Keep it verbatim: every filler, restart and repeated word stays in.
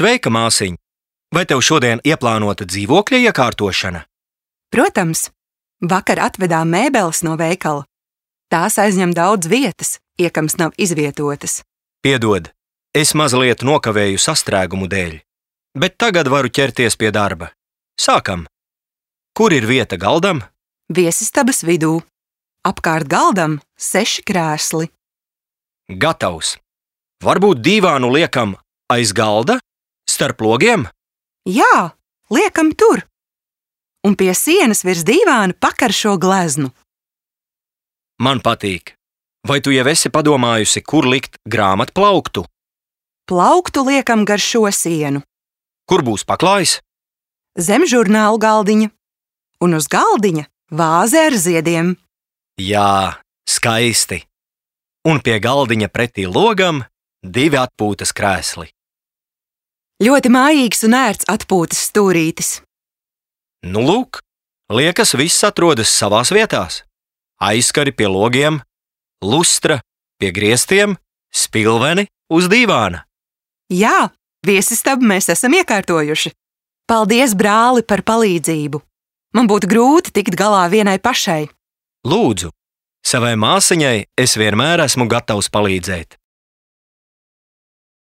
Sveika, māsiņ! Vai tev šodien ieplānota dzīvokļa iekārtošana? Protams, vakar atvedām mēbeles no veikala. Tās aizņem daudz vietas, iekams nav izvietotas. Piedod, es mazliet nokavēju sastrēgumu dēļ, bet tagad varu ķerties pie darba. Sākam! Kur ir vieta galdam? Viesistabas vidū. Apkārt galdam seši krēsli. Gatavs! Varbūt dīvānu liekam aiz galda? Starp logiem? Jā, liekam tur. Un pie sienas virs dīvāna pakaršo gleznu. Man patīk. Vai tu jau esi padomājusi, kur likt grāmatplauktu? Plauktu liekam gar šo sienu. Kur būs paklājs? Zem žurnālu galdiņa. Un uz galdiņa vāze ar ziediem. Jā, skaisti. Un pie galdiņa pretī logam divi atpūtas krēsli. Ļoti mājīgs un ērts atpūtas stūrītis. Nu lūk, liekas, viss atrodas savās vietās. Aizskari pie logiem, lustra pie griestiem, spilveni uz dīvāna. Jā, viesistabu mēs esam iekārtojuši. Paldies, brāli, par palīdzību. Man būtu grūti tikt galā vienai pašai. Lūdzu, savai māsiņai es vienmēr esmu gatavs palīdzēt.